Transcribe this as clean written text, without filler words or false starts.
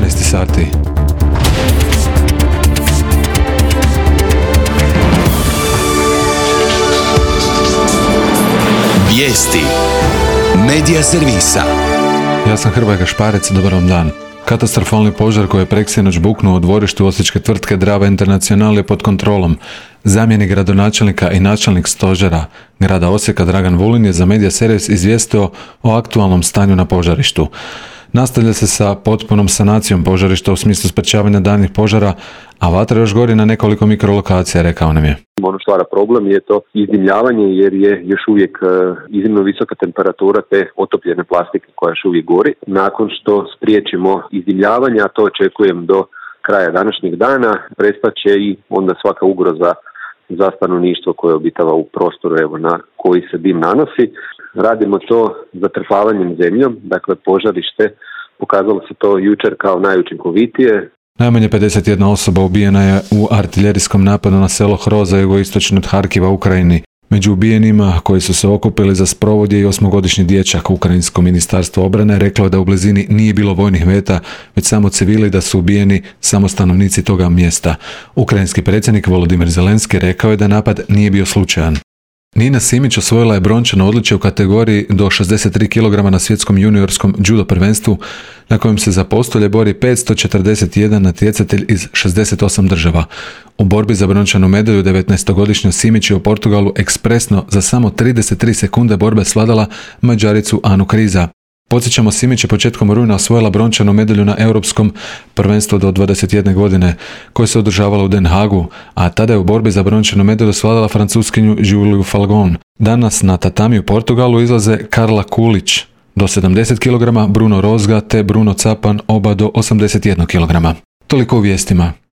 11 sati. Vijesti Medija servisa. Ja sam Hrvoje Gašparec, dobar vam dan. Katastrofalni požar koji je preksinoć buknuo u dvorištu osječke tvrtke Drava International je pod kontrolom. Zamjenik gradonačelnika i načelnik stožera grada Osijeka Dragan Vulin je za Medija servis izvijestio o aktualnom stanju na požarištu. Nastavlja se sa potpunom sanacijom požarišta u smislu sprečavanja daljnjih požara, a vatra još gori na nekoliko mikrolokacija, rekao nam je. Ono stvara problem je to izdimljavanje jer je još uvijek iznimno visoka temperatura te otopljene plastike koja još uvijek gori. Nakon što spriječimo izdimljavanje, a to očekujem do kraja današnjeg dana, prestat će i onda svaka ugroza za stanovništvo koje obitava u prostoru na koji se dim nanosi. Radimo to zatrpavanjem zemljom, dakle požarište pokazalo se to jučer kao najučinkovitije. Najmanje 51 osoba ubijena je u artiljerijskom napadu na selo Hroza jugoistočno od Harkiva u Ukrajini. Među ubijenima koji su se okupili za sprovod je i 8-godišnji dječak. Ukrajinsko ministarstvo obrane reklo da u blizini nije bilo vojnih meta, već samo civili, da su ubijeni samo stanovnici toga mjesta. Ukrajinski predsjednik Volodimir Zelenski rekao je da napad nije bio slučajan. Nina Simić osvojila je brončano odličje u kategoriji do 63 kg na svjetskom juniorskom judo prvenstvu na kojem se za postolje bori 541 natjecatelj iz 68 država. U borbi za brončanu medalju 19-godišnja Simić je u Portugalu ekspresno za samo 33 sekunde borbe svladala Mađaricu Anu Kriza. Podsjećamo, Simić je početkom rujna osvojila brončanu medalju na europskom prvenstvu do 21 godine koje se održavalo u Den Haagu, a tada je u borbi za brončanu medalju svladala Francuskinju Juliju Falgon. Danas na tatami u Portugalu izlaze Karla Kulić do 70 kg, Bruno Rozga te Bruno Capan oba do 81 kg. Toliko u vijestima.